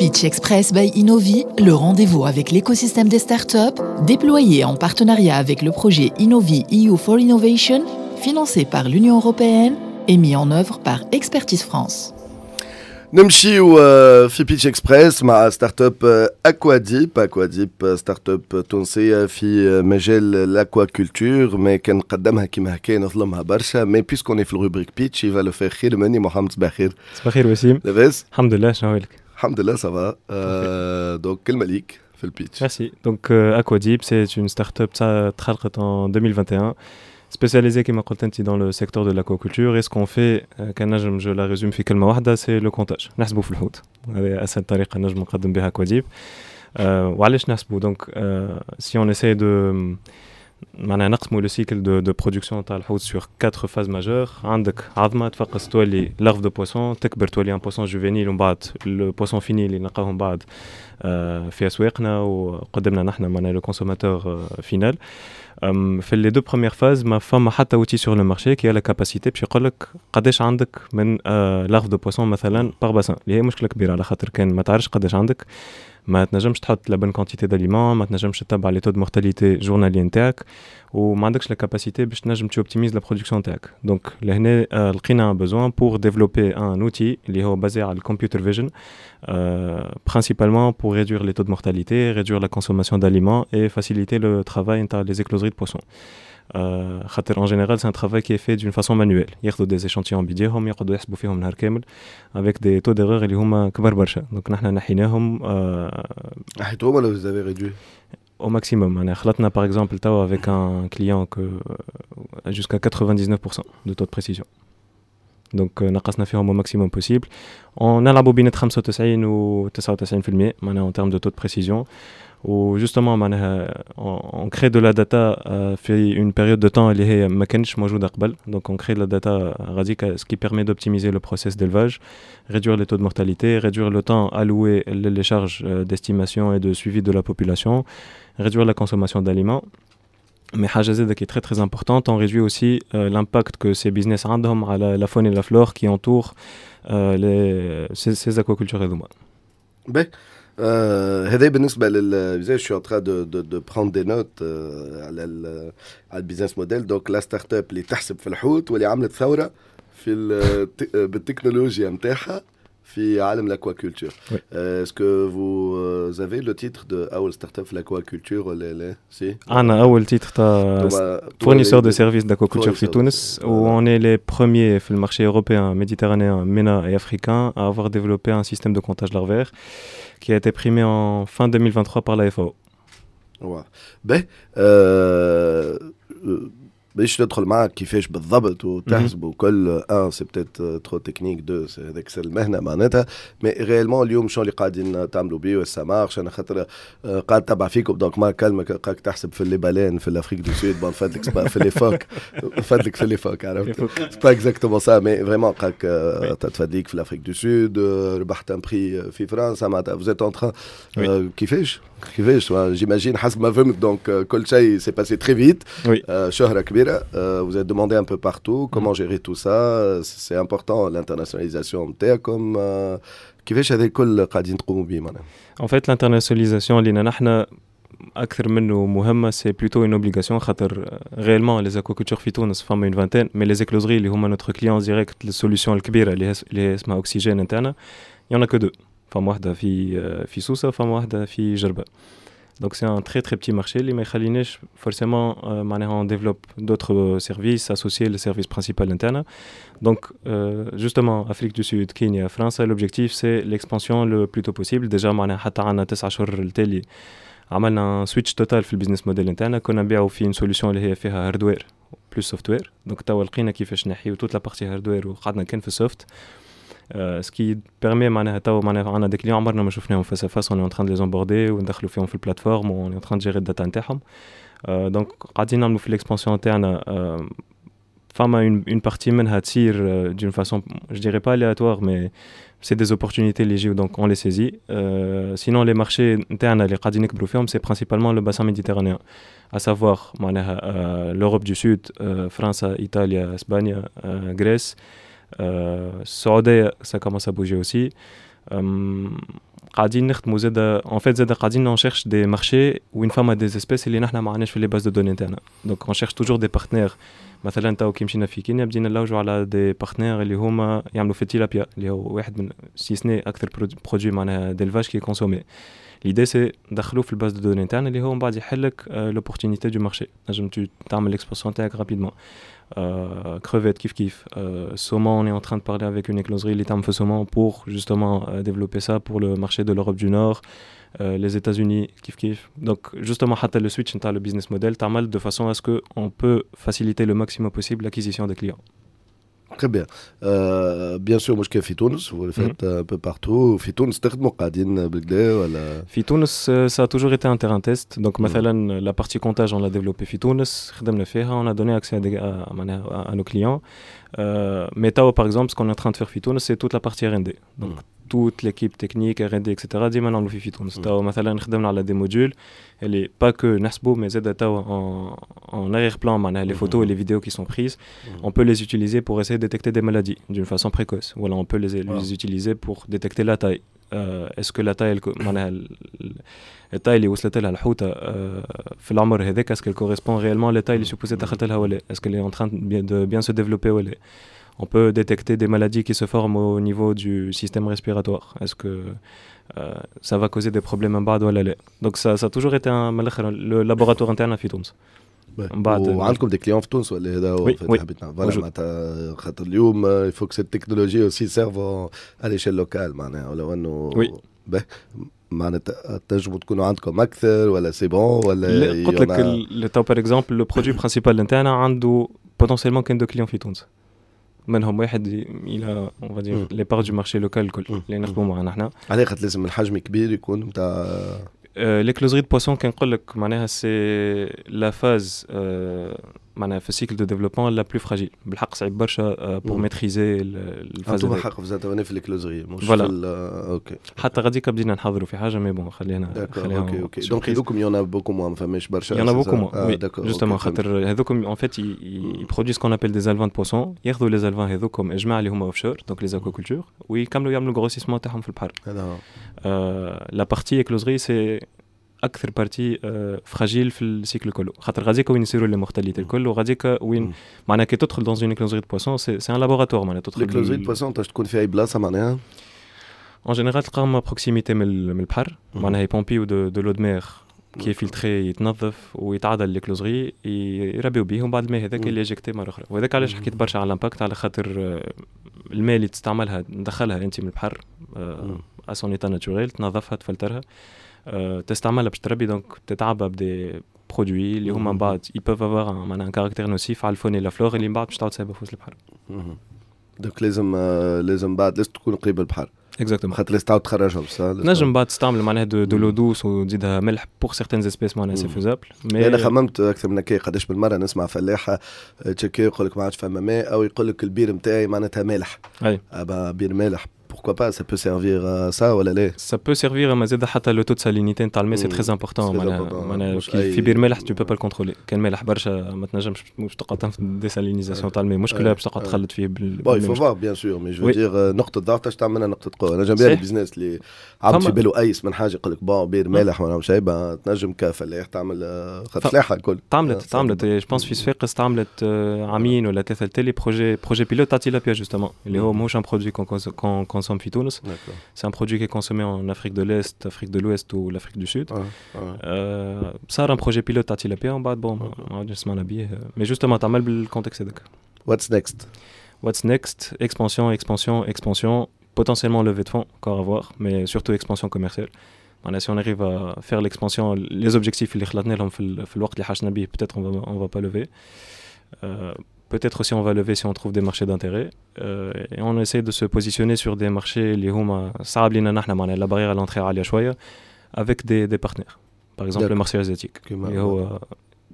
Pitch Express by Innovi, le rendez-vous avec l'écosystème des startups, déployé en partenariat avec le projet Innovi EU for Innovation, financé par l'Union européenne et mis en œuvre par Expertise France. نمشيو في Pitch Express مع startup Aquadeep. Aquadeep, startup تونسيه في مجال l'aquaculture, mais كان نقدمها كيما هكا نظلمها برشا, mais puisqu'on est في ال rubrique pitch, il va le faire خير مني. محمد, صباح الخير. صباح الخير وسيم. لاباس؟ الحمد لله, شنو حوالك؟ الحمد لله, ça va. Donc كلمه ليك في ال pitch. Merci. Donc Aquadeep, c'est une start-up تخلقت en 2021, spécialisée كما قلت انت dans le secteur de l'aquaculture, et ce qu'on fait, كان نجم je la résume في كلمه واحده, c'est le comptage. نحسبوا في الحوت, هذه اسهل طريقه نجم نقدم بها Aquadeep. وعلاش نحسبوا؟ Donc si on essaie de معناها نقسموا le cycle de production تاع الحوت sur quatre phases majeures, عندك عظمه تفقس تولي larve de poisson, تكبر تولي un poisson juvénile, ومن بعد le poisson fini اللي نلقاوه من بعد في اسواقنا وقدمنا نحن معناها le consommateur final. في les deux premières phases, ما فما حتى outil sur le marché qui a la capacité باش يقول لك قداش عندك من larve de poisson مثلا par bassin, اللي هي مشكله كبيره على خاطر كان ما تعرفش قداش عندك, ما تنجمش تحط la bonne quantité d'aliments, ما تنجمش تتبع les taux de mortalité journaliers نتاعك, وما عندكش la capacité باش تنجم tu optimises la production نتاعك. Donc لهنا لقينا un besoin pour développer un outil اللي هو basé على ال computer vision, principalement pour réduire les taux de mortalité, réduire la consommation d'aliments et faciliter le travail نتاع les écloseries de poissons. خاطر en général, c'est un travail qui est fait d'une façon manuelle, ياخذوا des échantillons بيديهم, يقعدوا يحسبوا فيهم نهار كامل avec des taux d'erreur اللي هما كبار برشا. Donc نحن نحيناهم. نحيتوهم ولا vous avez réduit؟ Au maximum. معناها خلطنا par exemple توا avec un client que jusqu'à 99% de taux de précision. Donc نقصنا فيهم au maximum possible. On نلعبوا بين 95 و 99% معناها en termes de taux de précision. و justement معناها on crée de la data في une période de temps اللي هي ما كانتش موجودة قبل. Donc on crée de la data radicale, ce qui permet d'optimiser le process d'élevage, réduire les taux de mortalité, réduire le temps alloué les charges d'estimation et de suivi de la population, réduire la consommation d'aliments. Mais حاجة زادة qui est très très importante, on réduit aussi l'impact que ces business عندهم على la faune et la flore qui entourent ces aquacultures هذوما. باهي. هذا بالنسبه لل je suis en train de prendre des notes على ال business model. Donc la startup اللي تحسب في الحوت واللي عملت ثوره في بالتكنولوجيا نتاعها في عالم l'aquaculture. Est-ce que vous avez le titre de اول startup في l'aquaculture ولا لا؟ Si. عندنا اول titre تاع fournisseur de services d'aquaculture في تونس, و on est les premiers في ال marché européen, méditerranéen, MENA et africain à avoir développé un système de comptage larvaire qui a été primé en fin 2023 par la FAO. واضح. باهي, باش ندخل معك كيفاش بالضبط وتحسبوا كل, un, c'est peut-être trop technique, deux, هذاك سر المهنه معناتها, mais réellement اليوم شنو اللي قاعدين تعملوا بيه و ça marche؟ انا خاطر قاعد تبع فيكم, donc ما كلمك قاعد تحسب في les baleines في l'Afrique du Sud. Bon, فادلك في les phoques, فادلك في les phoques, عرفت, c'est pas exactement ça, mais vraiment قاعد تفادليك في l'Afrique du Sud, ربحت un prix في فرنسا, معناتها vous êtes en train كيفاش؟ J'imagine, حسب ما فهمت, donc كل شيء s'est passé très vite, شهره كبيره, vous êtes demandé un peu partout. Comment gérer tout ça؟ C'est important, l'internationalisation نتاعكم. كيفاش هذا الكل قاعدين تقوموا به معناها؟ En fait, l'internationalisation لينا نحن اكثر منه مهمه, c'est plutôt une obligation, خاطر réellement les aquacultures في تونس فما une vingtaine, mais les écloseries اللي هما notre client direct, ال solution الكبيره اللي هي اسمها اكسجين نتاعنا, y en a que deux. فما واحده في سوسه, فما واحده في جربه. Donc c'est un très très petit marché اللي ما يخليناش forcément معناها on développe d'autres services associés le service principal نتاعنا. Donc justement, Afrique du Sud, Kenya, France, l'objectif, c'est l'expansion le plus tôt possible. Déjà معناها حتى عندنا 9 شهور التالي عملنا switch total في ال business model نتاعنا. كنا نبيعوا في une solution اللي هي فيها hardware plus software, donc توا لقينا كيفاش نحيو toute la partie hardware وقعدنا كان في ال soft, ce qui permet معناها توا معناها عندنا des clients عمرنا ما شفناهم face à face, on est en train de les onboarder وندخلوا فيهم في ال plateforme و on est en train de gérer ال data نتاعهم. Donc قاعدين نعملوا في l'expansion تاعنا. فما une partie منها تصير d'une façon, je dirais pas aléatoire, mais c'est des opportunités اللي يجيو, donc on les saisit. Sinon, les marchés نتاعنا اللي قاعدين نكبروا فيهم, c'est principalement le bassin méditerranéen, à savoir معناها l'Europe du Sud, فرنسا, إيطاليا, اسبانيا, Grèce, السعودية, ça commence à bouger aussi. قاعدين نخدموا زاد en fait زاد قاعدين on cherche des marchés وين فما des espèces اللي نحن ما عندناش في les bases de données نتاعنا، donc on cherche toujours des partenaires. مثلا تو كي مشينا في كينيا بدينا نلوجوا على des partenaires اللي هما يعملوا في التيلابيا، اللي هو واحد من si ce n'est اكثر produit معناها d'élevage qui est consommé. L'idée c'est ندخلوه في ال base de données نتاعنا، اللي هو من بعد يحلك l'opportunité du marché، نجم تعمل l'expansion تاعك rapidement. Crevettes كيف كيف، saumon، on est en train de parler avec une écloserie اللي تعمل في saumon pour justement développer ça pour le marché de l'Europe du Nord, les États-Unis كيف كيف. Donc justement حتى le switch نتاع le business model تعمل de façon à ce que on peut faciliter le maximum possible l'acquisition des clients. Très bien. Bien sûr مش كان في تونس، vous le faites un peu partout. في تونس تخدموا قاعدين بالكدا ولا؟ في تونس ça a toujours été un terrain test. Donc مثلا la partie comptage on l'a développée في تونس، خدمنا فيها، on a donné accès à nos clients. Mais توا par exemple ce qu'on est en train de faire في تونس c'est toute la partie R&D. Donc toute l'équipe technique R&D etc ديما نعملوا فيه في تونس. توا مثلا خدمنا على des modules اللي pas que نحسبوا mais زاد توا en arrière-plan معناها les photos et les vidéos qui sont prises on peut les utiliser pour essayer de détecter des maladies d'une façon précoce ولا on peut les utiliser pour détecter la taille. Est-ce que la taille معناها ال taille اللي وصلت لها الحوته في العمر هذاك est-ce qu'elle correspond réellement la taille اللي supposée دخلت لها ولا est-ce qu'elle est en train de bien se développer ولا. On peut détecter des maladies qui se forment au niveau du système respiratoire. Est-ce que ça va causer des problèmes من بعد ولا لا؟ Donc ça a toujours été un le laboratoire interne في تونس. من بعد وعندكم des clients في تونس ولا هذا هو؟ oui. حبيت نعرف. voilà معناتها خاطر اليوم il faut que cette technologie aussi serve à l'échelle locale معناها ولو انه oui. معناتها تنجموا تكونوا عندكم اكثر ولا c'est bon ولا؟ قلت لك تو par exemple le produit principal نتاعنا عنده potentiellement كان deux clients في تونس، منهم واحد il a on va dire les parts du marché local الكل اللي نخدموا معنا احنا. علاه؟ خاطر لازم الحجم كبير يكون نتاع l'écloserie de poissons كان نقول لك معناها c'est la phase معناها في ال cycle de développement la plus fragile، بالحق صعيب برشا pour maîtriser ال phase. انتم حق في في l'écloserie مش في OK. حتى غاديك بدينا نحضروا في حاجه mais bon خلينا خلينا OK donc هذوكم y en a beaucoup moins، ما فماش برشا. y en a beaucoup moins oui justement، خاطر هذوكم en fait ils produisent ce qu'on appelle des alevins de poissons. ياخذوا les alevins هذوكم اجماع اللي هما offshore، donc les aquacultures، ويكملوا يعملوا grossissement تاعهم في البحر. هذا la partie écloserie c'est اكثر partie fragile في ال cycle كله، خاطر غاديك وين يصيروا les mortalités الكل، وغاديك وين معناها كي تدخل dans une écloserie de poissons c'est un laboratoire معناها تدخل. l'écloserie de poissons تكون في اي بلاصه معناها؟ en général تلقاهم proximité من البحر، معناها يبومبيو de l'eau de mer qui est filtrée، يتنظف ويتعدى l'écloserie، يربيو بيه، ومن بعد الماء هذاك اللي injecté مره اخرى. وهذاك علاش حكيت برشا على l'impact، على خاطر الماء اللي تستعملها تدخلها انت من البحر à son état naturel، تنظفها، تفلترها، تستعملها باش تربي، donc تتعبى ب des produits اللي هما من بعد ils peuvent avoir معناها un caractère nocif على ال faune la flore اللي من بعد باش تعاود تسيبها في وسط البحر. donc لازم بعد لازم تكون قريب البحر. exactement. خاطر لازم تعاود تخرجهم. نجم بعد تستعمل معناها de l'eau douce وتزيدها ملح، pour certaines espèces معناها c'est faisable. mais انا خممت اكثر من هكا، قداش من مره نسمع فلاحه تشكي يقول لك ما عادش فما ماء، او يقول لك البير نتاعي معناتها مالح. اي بير مالح pourquoi pas، ça peut servir à ça ولا لا؟ ça peut servir، ما زاد حتى le taux de salinité نتاع الماء c'est très important. معناها في بير مالح tu peux pas le contrôler، كان مالح برشا ما تنجمش، مش تقعد désalinisation تاع الماء مشكله باش تقعد تخلط فيه بال bon il faut voir bien sûr، mais je veux dire نقطه ضعف تاش تعملها نقطه قوه. انا j'aime bien ال business اللي عبد في باله ايس من حاجه، يقول لك bon بير مالح ولا شيء، تنجم كفلاح تعمل خاطر فلاحه الكل. تعملت je pense في صفاقس، تعملت عامين ولا ثلاثه تالي projet pilote تاع tilapia justement، اللي هو ماهوش un produit qu'on consomme في تونس. C'est un produit qui est consommé en Afrique de l'Est, Afrique de l'Ouest ou l'Afrique du Sud. صار un projet pilote تاع tilapia ومن بعد bon ما عادش سمعنا بيه، mais justement تعمل بال contexte هذاك. What's next؟ What's next؟ Expansion, expansion, expansion, potentiellement levée de fonds, encore à voir, mais surtout expansion commerciale. معناها si on arrive à faire l'expansion, les objectifs اللي خلطنا لهم في الوقت اللي حاجتنا به، peut-être on va pas lever. Peut-être aussi on va lever si on trouve des marchés d'intérêt. Et on essaie de se positionner sur des marchés اللي هما صعب لينا نحن، معناها la barrière à l'entrée عالية شوية، avec des partenaires. Par exemple le marché asiatique اللي هو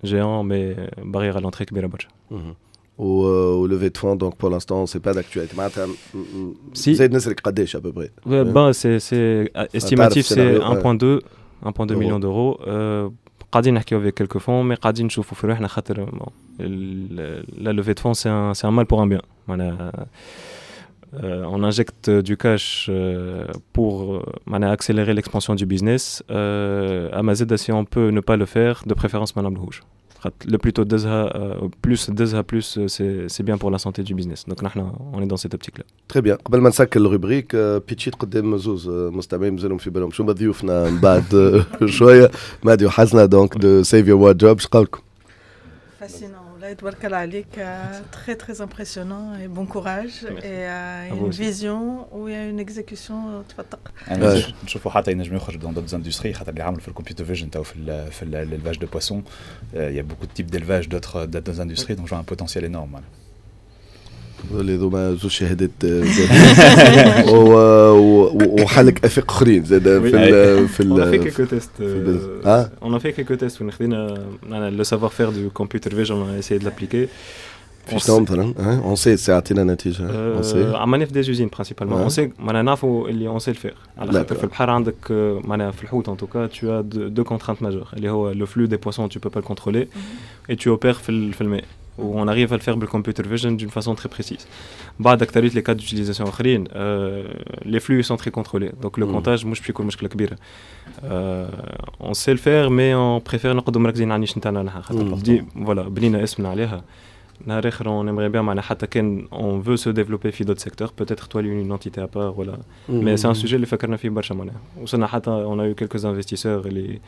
géant mais barrière à l'entrée كبيرة برشا. و levée de fonds donc pour l'instant c'est pas d'actualité معناتها؟ Si. زيد نسرك قداش à peu près؟ Ben c'est estimatif، c'est 1.2 1.2 millions d'euros. قاعدين نحكيو avec quelques fonds، mais قاعدين نشوفوا في روحنا، خاطر la levée de fonds c'est un mal pour un bien معناها. On injecte du cash pour معناها accélérer l'expansion du business. أما زادة si on peut ne pas le faire, de préférence ما نعملوهوش. Le plus tôt تدزها, plus تدزها, plus c'est bien pour la santé du business. Donc نحن on est dans cette optique là. Très bien. قبل ما نسكر ال rubrique pitchيت قدام زوز مستمعين مازالوا في بالهم شو ضيوفنا من بعد شويه, مهدي وحسنه, donc de Save Your Wardrobe. اش قولكم؟ Fascinant. الله تبارك الله عليك, très très impressionnant et bon courage. Et une vision où il y a une exécution تفتق. نشوفوا حتى ينجم يخرج dans d'autres industries, خاطر اللي عملوا في ال computer vision تو في l'élevage de poissons, il y a beaucoup de types d'élevage d'autres industries, donc je vois un potentiel énorme. اللي ذوما زوج شهادات وحلك افاق اخرين زاد في ال On a fait quelques tests. On a fait quelques tests وين خدينا le savoir-faire du computer vision, on a essayé de l'appliquer. في شنو مثلا؟ on sait عطينا نتيجه. on sait عملنا في des usines principalement. On sait معناها نعرفوا اللي on sait le faire, على خاطر في البحر عندك معناها في الحوت en tout cas tu as deux contraintes majeures, اللي هو le flux des poissons, tu peux pas le contrôler et tu opères في الماء, où on arrive à le faire le computer vision d'une façon très précise. بعد أكثرية les cas d'utilisation آخرين, les flux sont très contrôlés, donc le comptage مش باش يكون مشكلة كبيرة. On sait le faire, mais on préfère نقعدوا مركزين على ال niche نتاعنا نحن, خاطر voilà بنينا اسمنا عليها. نهار اخر on aimerait bien معناها حتى كان on veut se développer في d'autres secteurs, peut-être تولي une entité à part ولا, mais c'est un sujet اللي فكرنا فيه برشا. معناها وصلنا حتى on a eu quelques investisseurs اللي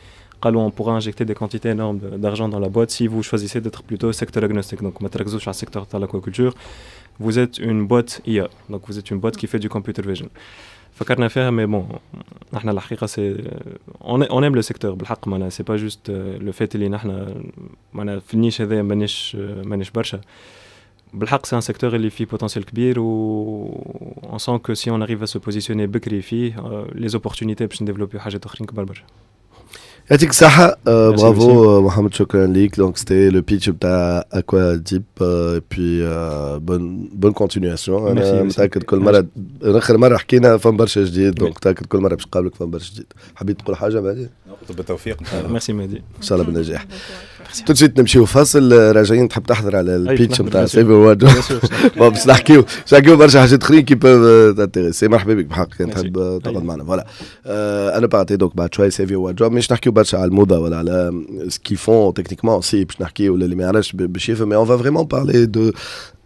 قالوا on pourra injecter des quantités énormes d'argent dans la boîte si vous choisissez d'être plutôt secteur agnostique, donc ما تركزوش على secteur تاع l'aquaculture, vous êtes une boîte IA, donc vous êtes une boîte qui fait du computer vision. فكرنا فيها, mais bon نحن الحقيقه c'est on aime le secteur بالحق, معناها c'est pas juste le fait اللي نحن معناها في ال niche هذا مانيش برشا. بالحق c'est un secteur اللي فيه potentiel كبير و on sent que si on arrive à se positionner بكري فيه, les opportunités باش ن développer حاجات اخرين كبار برشا. يعطيك الصحة, برافو محمد, شكرا ليك. donc c'était le pitch بتاع Aquadeep, puis bonne continuation. انا متاكد كل مرة, اخر مرة حكينا فما برشا جديد, donc متاكد كل مرة باش نقابلك فما برشا جديد. حبيت تقول حاجة مهدي؟ بالتوفيق. ميرسي مهدي. ان شاء الله بالنجاح. tout de suite نمشيو فاصل, راجعين. تحب تحضر على ال pitch نتاع Save Your باش نحكيو برشا حاجات اخرين qui peuvent t'intéresser. مرحبا بك بحق كان تحب تقعد معنا. voilà انا بعطي donc بعد شوي Save Your Wardrobe, مش نحكيو برشا على الموضه ولا على ce qu'ils font techniquement, si باش نحكيو ولا اللي ما يعرفش باش يفهم, mais on va vraiment parler de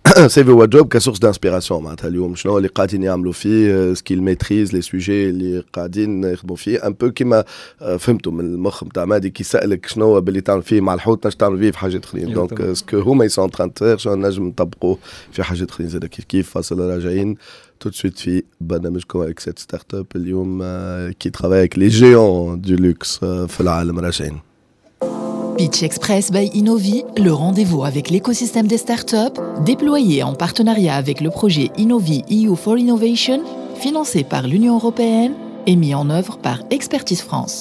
Save Your Wardrobe ك source d'inspiration. معناتها اليوم شنو اللي قاعدين يعملوا فيه, ce qu'ils maîtrisent, les sujets اللي قاعدين يخدموا فيه, un peu كيما فهمتوا من المخ نتاع مادي كي سالك شنو باللي تعمل فيه مع الحوت نجم تعمل فيه في حاجات اخرين. donc ce que هما ils sont en train de faire شنو نجم نطبقوه في حاجات اخرين زاد كيف كيف. فاصل, راجعين tout de suite في برنامجكم avec cette start-up اليوم qui travaille avec les géants du luxe في العالم. راجعين. Pitch Express by Innovi, le rendez-vous avec l'écosystème des startups, déployé en partenariat avec le projet Innovi EU for Innovation, financé par l'Union européenne et mis en œuvre par Expertise France.